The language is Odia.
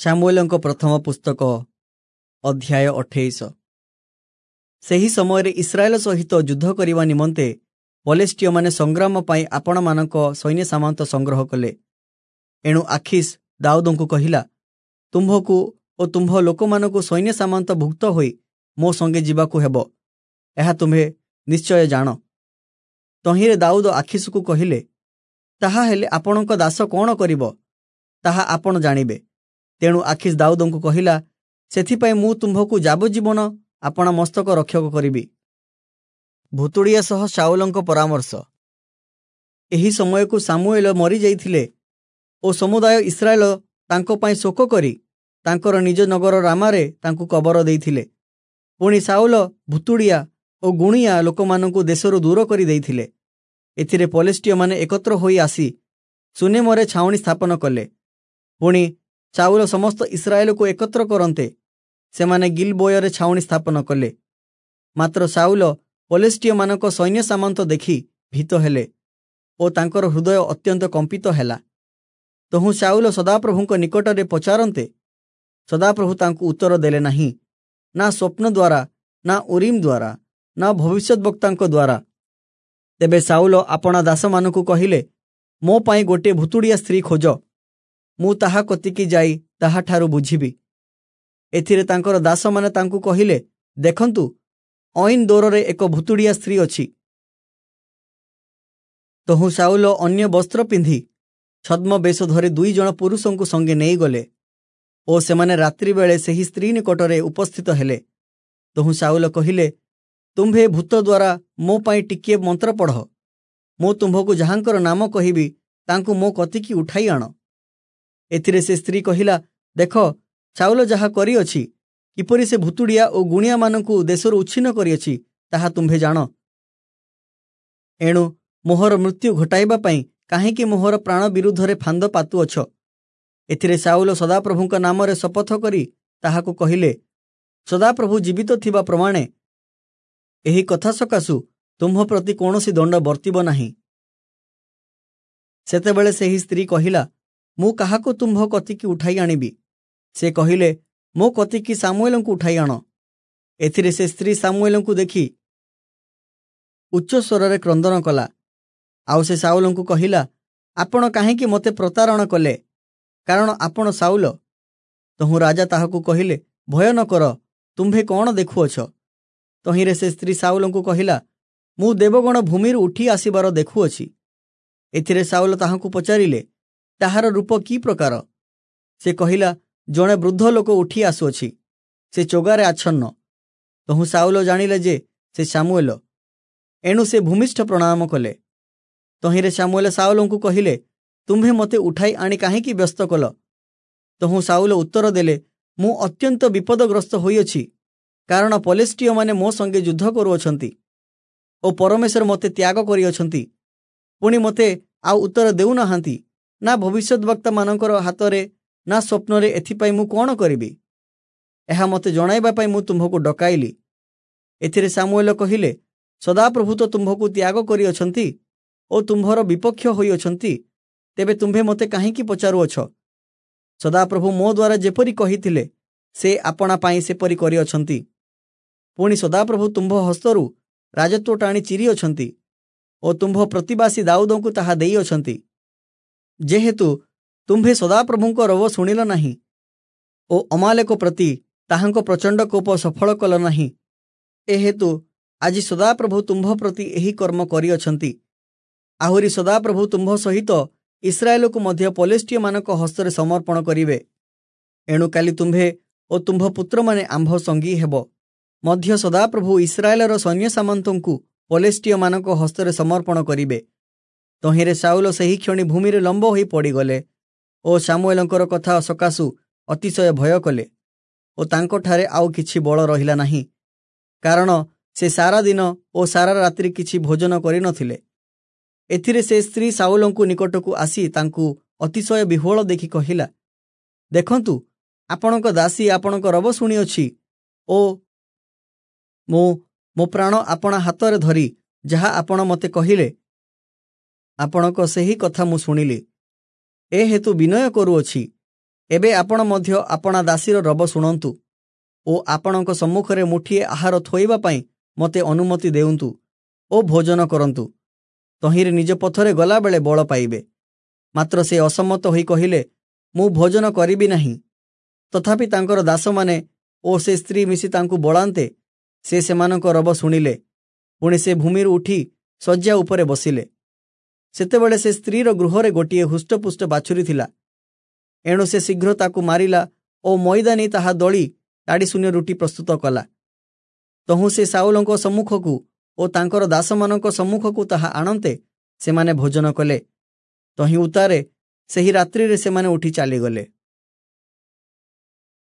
ସାମୁଏଲଙ୍କ ପ୍ରଥମ ପୁସ୍ତକ ଅଧ୍ୟାୟ 28। ସେହି ସମୟରେ ଇସ୍ରାଏଲ ସହିତ ଯୁଦ୍ଧ କରିବା ନିମନ୍ତେ ପଲେଷ୍ଟୀୟମାନେ ସଂଗ୍ରାମ ପାଇଁ ଆପଣମାନଙ୍କ ସୈନ୍ୟ ସାମନ୍ତ ସଂଗ୍ରହ କଲେ। ଏଣୁ ଆଖିସ୍ ଦାଉଦଙ୍କୁ କହିଲା, ତୁମ୍ଭକୁ ଓ ତୁମ୍ଭ ଲୋକମାନଙ୍କୁ ସୈନ୍ୟ ସାମନ୍ତ ଭୁକ୍ତ ହୋଇ ମୋ ସଙ୍ଗେ ଯିବାକୁ ହେବ, ଏହା ତୁମ୍ଭେ ନିଶ୍ଚୟ ଜାଣ। ତହିଁରେ ଦାଉଦ ଆଖିସକୁ କହିଲେ, ତାହା ହେଲେ ଆପଣଙ୍କ ଦାସ କ'ଣ କରିବ, ତାହା ଆପଣ ଜାଣିବେ। ତେଣୁ ଆଖିସ୍ ଦାଉଦଙ୍କୁ କହିଲା, ସେଥିପାଇଁ ମୁଁ ତୁମ୍ଭକୁ ଯାବଜୀବନ ଆପଣା ମସ୍ତକ ରକ୍ଷକ କରିବି। ଭୁତୁଡ଼ିଆ ସହ ଶାଉଲଙ୍କ ପରାମର୍ଶ। ଏହି ସମୟକୁ ସାମୁଏଲ ମରିଯାଇଥିଲେ ଓ ସମୁଦାୟ ଇସ୍ରାଏଲ ତାଙ୍କ ପାଇଁ ଶୋକ କରି ତାଙ୍କର ନିଜ ନଗର ରାମାରେ ତାଙ୍କୁ କବର ଦେଇଥିଲେ। ପୁଣି ଶାଉଲ ଭୁତୁଡ଼ିଆ ଓ ଗୁଣିଆ ଲୋକମାନଙ୍କୁ ଦେଶରୁ ଦୂର କରି ଦେଇଥିଲେ। ଏଥିରେ ପଲେଷ୍ଟୀୟମାନେ ଏକତ୍ର ହୋଇ ଆସି ସୁନେମରେ ଛାଉଣି ସ୍ଥାପନ କଲେ। ପୁଣି ଶାଉଲ ସମସ୍ତ ଇସ୍ରାଏଲକୁ ଏକତ୍ର କରନ୍ତେ ସେମାନେ ଗିଲବୋୟରେ ଛାଉଣି ସ୍ଥାପନ କଲେ। ମାତ୍ର ଶାଉଲ ପଲେଷ୍ଟୀୟମାନଙ୍କ ସୈନ୍ୟ ସାମନ୍ତ ଦେଖି ଭୀତ ହେଲେ ଓ ତାଙ୍କର ହୃଦୟ ଅତ୍ୟନ୍ତ କମ୍ପିତ ହେଲା। ତହୁଁ ଶାଉଲ ସଦାପ୍ରଭୁଙ୍କ ନିକଟରେ ପଚାରନ୍ତେ ସଦାପ୍ରଭୁ ତାଙ୍କୁ ଉତ୍ତର ଦେଲେ ନାହିଁ, ନା ସ୍ୱପ୍ନ ଦ୍ୱାରା, ନା ଉରିମ ଦ୍ୱାରା, ନା ଭବିଷ୍ୟଦ୍ବକ୍ତାଙ୍କ ଦ୍ୱାରା। ତେବେ ଶାଉଲ ଆପଣା ଦାସମାନଙ୍କୁ କହିଲେ, ମୋ ପାଇଁ ଗୋଟିଏ ଭୁତୁଡ଼ିଆ ସ୍ତ୍ରୀ ଖୋଜ, ମୁଁ ତାହା କତିକି ଯାଇ ତାହାଠାରୁ ବୁଝିବି। ଏଥିରେ ତାଙ୍କର ଦାସମାନେ ତାଙ୍କୁ କହିଲେ, ଦେଖନ୍ତୁ, ଐନ୍ ଦୋରରେ ଏକ ଭୁତୁଡ଼ିଆ ସ୍ତ୍ରୀ ଅଛି। ତହୁଁ ଶାଉଲ ଅନ୍ୟ ବସ୍ତ୍ର ପିନ୍ଧି ଛଦ୍ମବେଶ ଧରି 2 ଜଣ ପୁରୁଷଙ୍କୁ ସଙ୍ଗେ ନେଇଗଲେ ଓ ସେମାନେ ରାତ୍ରି ବେଳେ ସେହି ସ୍ତ୍ରୀ ନିକଟରେ ଉପସ୍ଥିତ ହେଲେ। ତହୁଁ ଶାଉଲ କହିଲେ, ତୁମ୍ଭେ ଭୂତ ଦ୍ୱାରା ମୋ ପାଇଁ ଟିକିଏ ମନ୍ତ୍ର ପଢ଼, ମୁଁ ତୁମ୍ଭକୁ ଯାହାଙ୍କର ନାମ କହିବି ତାଙ୍କୁ ମୋ କତିକି ଉଠାଇ ଆଣ। ଏଥିରେ ସେ ସ୍ତ୍ରୀ କହିଲା, ଦେଖ, ଶାଉଲ ଯାହା କରିଅଛି, କିପରି ସେ ଭୁତୁଡ଼ିଆ ଓ ଗୁଣିଆମାନଙ୍କୁ ଦେଶରୁ ଉଚ୍ଛିନ୍ନ କରିଅଛି, ତାହା ତୁମ୍ଭେ ଜାଣ। ଏଣୁ ମୋହର ମୃତ୍ୟୁ ଘଟାଇବା ପାଇଁ କାହିଁକି ମୋହର ପ୍ରାଣ ବିରୁଦ୍ଧରେ ଫାନ୍ଦ ପାତୁଅଛ? ଏଥିରେ ଶାଉଲ ସଦାପ୍ରଭୁଙ୍କ ନାମରେ ଶପଥ କରି ତାହାକୁ କହିଲେ, ସଦାପ୍ରଭୁ ଜୀବିତ ଥିବା ପ୍ରମାଣେ ଏହି କଥା ସକାଶୁ ତୁମ୍ଭ ପ୍ରତି କୌଣସି ଦଣ୍ଡ ବର୍ତ୍ତିବ ନାହିଁ। ସେତେବେଳେ ସେହି ସ୍ତ୍ରୀ କହିଲା, ମୁଁ କାହାକୁ ତୁମ୍ଭ କତିକି ଉଠାଇ ଆଣିବି? ସେ କହିଲେ, ମୋ କତିକି ସାମୁଏଲଙ୍କୁ ଉଠାଇ ଆଣ। ଏଥିରେ ସେ ସ୍ତ୍ରୀ ସାମୁଏଲଙ୍କୁ ଦେଖି ଉଚ୍ଚ ସ୍ୱରରେ କ୍ରନ୍ଦନ କଲା। ଆଉ ସେ ଶାଉଲଙ୍କୁ କହିଲା, ଆପଣ କାହିଁକି ମୋତେ ପ୍ରତାରଣା କଲେ? କାରଣ ଆପଣ ଶାଉଲ। ତହୁଁ ରାଜା ତାହାକୁ କହିଲେ, ଭୟ ନ କର, ତୁମ୍ଭେ କ'ଣ ଦେଖୁଅଛ? ତହିଁରେ ସେ ସ୍ତ୍ରୀ ଶାଉଲଙ୍କୁ କହିଲା, ମୁଁ ଦେବଗଣ ଭୂମିରୁ ଉଠି ଆସିବାର ଦେଖୁଅଛି। ଏଥିରେ ଶାଉଲ ତାହାଙ୍କୁ ପଚାରିଲେ, ତାହାର ରୂପ କି ପ୍ରକାର? ସେ କହିଲା, ଜଣେ ବୃଦ୍ଧ ଲୋକ ଉଠି ଆସୁଅଛି, ସେ ଚୋଗାରେ ଆଚ୍ଛନ୍ନ। ତହୁଁ ଶାଉଲ ଜାଣିଲେ ଯେ ସେ ସାମୁଏଲ। ଏଣୁ ସେ ଭୂମିଷ୍ଠ ପ୍ରଣାମ କଲେ। ତହିଁରେ ସାମୁଏଲ ଶାଉଲଙ୍କୁ କହିଲେ, ତୁମ୍ଭେ ମୋତେ ଉଠାଇ ଆଣି କାହିଁକି ବ୍ୟସ୍ତ କଲ? ତହୁଁ ଶାଉଲ ଉତ୍ତର ଦେଲେ, ମୁଁ ଅତ୍ୟନ୍ତ ବିପଦଗ୍ରସ୍ତ ହୋଇଅଛି, କାରଣ ପଲେଷ୍ଟୀୟମାନେ ମୋ ସଙ୍ଗେ ଯୁଦ୍ଧ କରୁଅଛନ୍ତି ଓ ପରମେଶ୍ୱର ମୋତେ ତ୍ୟାଗ କରିଅଛନ୍ତି। ପୁଣି ମୋତେ ଆଉ ଉତ୍ତର ଦେଉନାହାନ୍ତି, ନା ଭବିଷ୍ୟଦ୍ବକ୍ତାମାନଙ୍କର ହାତରେ, ନା ସ୍ୱପ୍ନରେ। ଏଥିପାଇଁ ମୁଁ କ'ଣ କରିବି? ଏହା ମୋତେ ଜଣାଇବା ପାଇଁ ମୁଁ ତୁମ୍ଭକୁ ଡକାଇଲି। ଏଥିରେ ସାମୁଏଲ କହିଲେ, ସଦାପ୍ରଭୁ ତ ତୁମ୍ଭକୁ ତ୍ୟାଗ କରିଅଛନ୍ତି ଓ ତୁମ୍ଭର ବିପକ୍ଷ ହୋଇଅଛନ୍ତି, ତେବେ ତୁମ୍ଭେ ମୋତେ କାହିଁକି ପଚାରୁଅଛ? ସଦାପ୍ରଭୁ ମୋ ଦ୍ୱାରା ଯେପରି କହିଥିଲେ, ସେ ଆପଣା ପାଇଁ ସେପରି କରିଅଛନ୍ତି। ପୁଣି ସଦାପ୍ରଭୁ ତୁମ୍ଭ ହସ୍ତରୁ ରାଜତ୍ୱ ଟାଣି ଚିରିଅଛନ୍ତି ଓ ତୁମ୍ଭ ପ୍ରତିବାସୀ ଦାଉଦଙ୍କୁ ତାହା ଦେଇଅଛନ୍ତି। ଯେହେତୁ ତୁମ୍ଭେ ସଦାପ୍ରଭୁଙ୍କ ରବ ଶୁଣିଲ ନାହିଁ ଓ ଅମାଲେକ ପ୍ରତି ତାହାଙ୍କ ପ୍ରଚଣ୍ଡ କୋପ ସଫଳ କଲ ନାହିଁ, ଏହେତୁ ଆଜି ସଦାପ୍ରଭୁ ତୁମ୍ଭ ପ୍ରତି ଏହି କର୍ମ କରିଅଛନ୍ତି। ଆହୁରି ସଦାପ୍ରଭୁ ତୁମ୍ଭ ସହିତ ଇସ୍ରାଏଲକୁ ମଧ୍ୟ ପଲେଷ୍ଟୀୟମାନଙ୍କ ହସ୍ତରେ ସମର୍ପଣ କରିବେ। ଏଣୁ କାଲି ତୁମ୍ଭେ ଓ ତୁମ୍ଭ ପୁତ୍ରମାନେ ଆମ୍ଭ ସଙ୍ଗୀ ହେବ। ମଧ୍ୟ ସଦାପ୍ରଭୁ ଇସ୍ରାଏଲର ସୈନ୍ୟ ସାମନ୍ତଙ୍କୁ ପଲେଷ୍ଟୀୟମାନଙ୍କ ହସ୍ତରେ ସମର୍ପଣ କରିବେ। ତହିଁରେ ଶାଉଲ ସେହି କ୍ଷଣି ଭୂମିରେ ଲମ୍ବ ହୋଇ ପଡ଼ିଗଲେ ଓ ସାମୁଏଲଙ୍କର କଥା ସକାଶୁ ଅତିଶୟ ଭୟ କଲେ ଓ ତାଙ୍କଠାରେ ଆଉ କିଛି ବଳ ରହିଲା ନାହିଁ, କାରଣ ସେ ସାରା ଦିନ ଓ ସାରା ରାତ୍ରି କିଛି ଭୋଜନ କରିନଥିଲେ। ଏଥିରେ ସେ ସ୍ତ୍ରୀ ଶାଉଲଙ୍କୁ ନିକଟକୁ ଆସି ତାଙ୍କୁ ଅତିଶୟ ବିହ୍ୱଳ ଦେଖି କହିଲା, ଦେଖନ୍ତୁ, ଆପଣଙ୍କ ଦାସୀ ଆପଣଙ୍କ ରବ ଶୁଣିଅଛି ଓ ମୁଁ ମୋ ପ୍ରାଣ ଆପଣା ହାତରେ ଧରି ଯାହା ଆପଣ ମୋତେ କହିଲେ, ଆପଣଙ୍କ ସେହି କଥା ମୁଁ ଶୁଣିଲି। ଏ ହେତୁ ବିନୟ କରୁଅଛି, ଏବେ ଆପଣ ମଧ୍ୟ ଆପଣା ଦାସୀର ରବ ଶୁଣନ୍ତୁ ଓ ଆପଣଙ୍କ ସମ୍ମୁଖରେ ମୁଠିଏ ଆହାର ଥୋଇବା ପାଇଁ ମୋତେ ଅନୁମତି ଦେଉନ୍ତୁ ଓ ଭୋଜନ କରନ୍ତୁ, ତହିଁରେ ନିଜ ପଥରେ ଗଲାବେଳେ ବଳ ପାଇବେ। ମାତ୍ର ସେ ଅସମ୍ମତ ହୋଇ କହିଲେ, ମୁଁ ଭୋଜନ କରିବି ନାହିଁ। ତଥାପି ତାଙ୍କର ଦାସମାନେ ଓ ସେ ସ୍ତ୍ରୀ ମିଶି ତାଙ୍କୁ ବଳାନ୍ତେ ସେ ସେମାନଙ୍କ ରବ ଶୁଣିଲେ। ପୁଣି ସେ ଭୂମିରୁ ଉଠି ଶଯ୍ୟା ଉପରେ ବସିଲେ। ସେତେବେଳେ ସେ ସ୍ତ୍ରୀର ଗୃହରେ ଗୋଟିଏ ହୃଷ୍ଟପୁଷ୍ଟ ବାଛୁରୀ ଥିଲା। ଏଣୁ ସେ ଶୀଘ୍ର ତାକୁ ମାରିଲା ଓ ମଇଦା ନେଇ ତାହା ଦଳି ତାଡ଼ିଶୂନ୍ୟ ରୁଟି ପ୍ରସ୍ତୁତ କଲା। ତହୁଁ ସେ ସାଉଲଙ୍କ ସମ୍ମୁଖକୁ ଓ ତାଙ୍କର ଦାସମାନଙ୍କ ସମ୍ମୁଖକୁ ତାହା ଆଣନ୍ତେ ସେମାନେ ଭୋଜନ କଲେ। ତହିଁ ଉତ୍ତାରେ ସେହି ରାତ୍ରିରେ ସେମାନେ ଉଠି ଚାଲିଗଲେ।